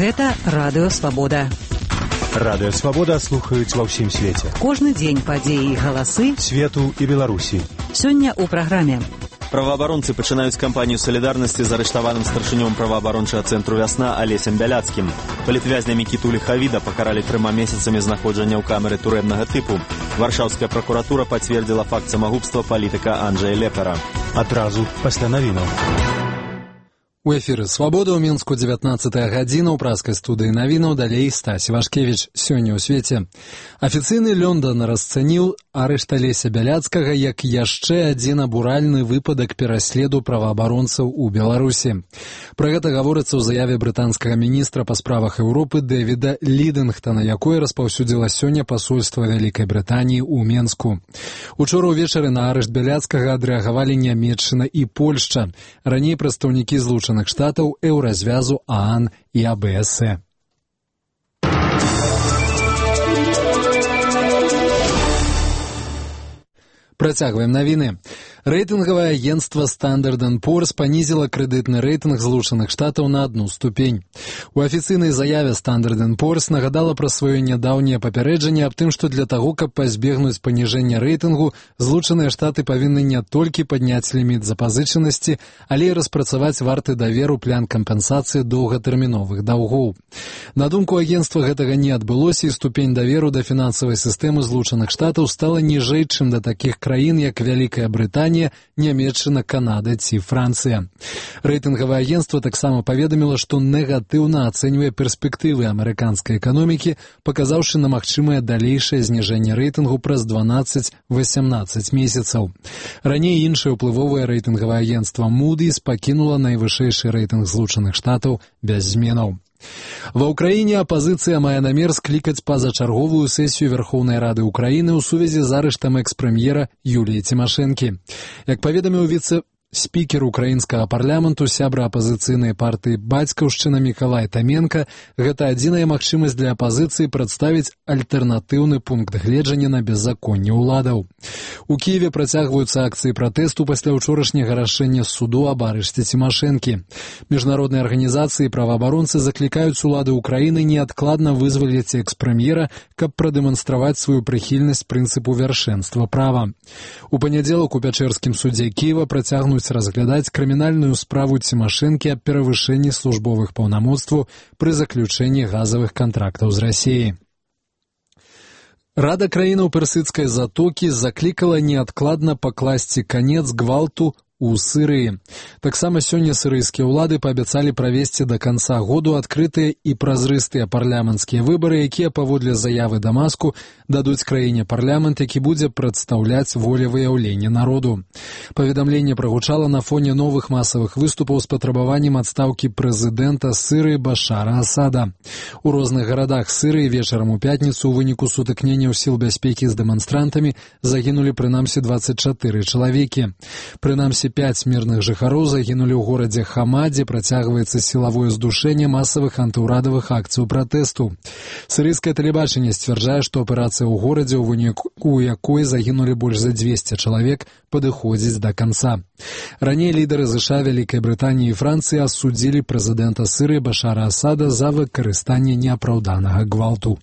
Гэта Радыё Свабода. Радыё Свабода слухаюць ва ўсім свеце. Кожны дзень падзеі і галасы свету і Беларусі. Сёння ў праграме. Праваабаронцы пачынаюць кампанію салідарнасці з арыштаваным старшынём праваабарончага цэнтру «Вясна» Алесем Бяляцкім. Палітвязня Мікіту Ліхавіда пакаралі 3 месяцамі знаходжання ў камеры турэбнага тыпу. Варшаўская пракуратура пацвердзіла факт самагубства палітыка Анджэя Лепара. Адразу пасля навінаў. У эфіры «Свабода» ў Мінску 19-я гадзіна ў праскай студыі навінаў, далей Стась Вашкевіч. Сёння ў свеце. Афіцыйны Лёндан расцаніў арышт Алеся Бяляцкага як яшчэ адзін абуральны выпадак пераследу праваабаронцаў у Беларусі. Пра гэта гаворыцца ў заяве брытанскага міністра па справах Еўропы Дэвіда Лідынгтона, якое распаўсюдзіла сёння пасольства Вялікай Брытаніі ў Менску. Учора ўвечары на арышт Бяляцкага адрэагавалі Нямецчына і Польшча. Раней прадстаўнікі Злучаных Штатаў, Еўразвязу, ААН і АБС. Працягваем навіны. Рэйтынгавае агенцтва Standard & Poor's панізіла крэдытны рэйтынг Злучаных Штатаў на 1 ступень. У афіцыйнай заяве Standard & Poor's нагадала пра сваё нядаўняе папярэджанне аб тым, што для таго, каб пазбегнуць паніжэння рэйтынгу, Злучаныя Штаты павінны не толькі падняць ліміт запазычанасці, але і распрацаваць варты даверу план кампенсацыі доўгатэрміновых даўгоў. На думку агенцтва, гэтага не адбылося, і ступень даверу да фінансавай сістэмы Злучаных Штатаў стала ніжэй, чым да такіх краін, як Вялікая Брытанія, Нямецчына, Канада ці Францыя. Рэйтынгавае агенцтва таксама паведаміла, што негатыўна ацэньвае перспектывы амерыканскай эканомікі, паказаўшы на магчымае далейшае зніжэнне рэйтынгу праз 12-18 месяцаў. Раней іншае ўплывовае рэйтынгавае агенцтва Moody's пакінула найвышэйшы рэйтынг Злучаных Штатаў без зменаў. Ва ўкраіне апазіцыя мае намер склікаць пазачарговую сесію Верхоўнай Рады Украіны ў сувязі з арыштам экс-прэм'ера Юліі Цімашэнкі. Як паведаміў віцэ-спікер украінскага парламенту, сябра апазіцыйнай партыі «Бацькаўшчына» Мікалай Таменка, гэта адзіная магчымасць для апазіцыі прадставіць альтэрнатыўны пункт гледжання на беззаконне ўладаў. У Кіеве працягваюцца акцыі пратэсту пасля ўчорашняга рашэння суду аб арышце Цімашэнкі. Міжнародныя арганізацыі і праваабаронцы заклікаюць улады Украіны неадкладна вызваліць экс-прэм'ера, каб прадэманстраваць сваю прыхільнасць прынцыпу вяршэнства права. У панядзелак у Пячэрскім судзе Кіева працягнуць разглядаць крымінальную справу Цімашэнкі аб перавышэнні службовых паўнамоцтваў пры заключэнні газавых кантрактаў з Расіяй. Рада краінаў персідскай затокі заклікала неадкладна пакласці канец гвалту у Сірыі. Таксама сёння сірыйскія ўлады паабяцалі правесці да канца году адкрытыя і празрыстыя парламенцкія выбары, якія паводле заявы Дамаску дадуць краіне парламент, які будзе прадстаўляць волевыяўленне народу. Паведамленне прагучала на фоне новых масавых выступаў з патрабаваннем адстаўкі прэзідэнта Сірыі Башара Асада. У розных гарадах Сірыі вечарам у пятніцу ў выніку сутыкненняў сіл бяспекі з дэманстрантамі загінулі прынамсі 24 чалавекі. Прынамсі 5 мірных жыхароў загінулі ў горадзе Хама, дзе працягваецца сілавое здушэнне масавых антыўрадавых акцый пратэсту. Сірыйскае тэлебачанне сцвярджае, што аперацыя ў горадзе, у выніку якой загінулі больш за 200 чалавек, падыходзіць да канца. Раней лідары ЗША, Вялікай Брытаніі і Францыі асудзілі прэзідэнта Сірыі Башара Асада за выкарыстанне неапраўданага гвалту.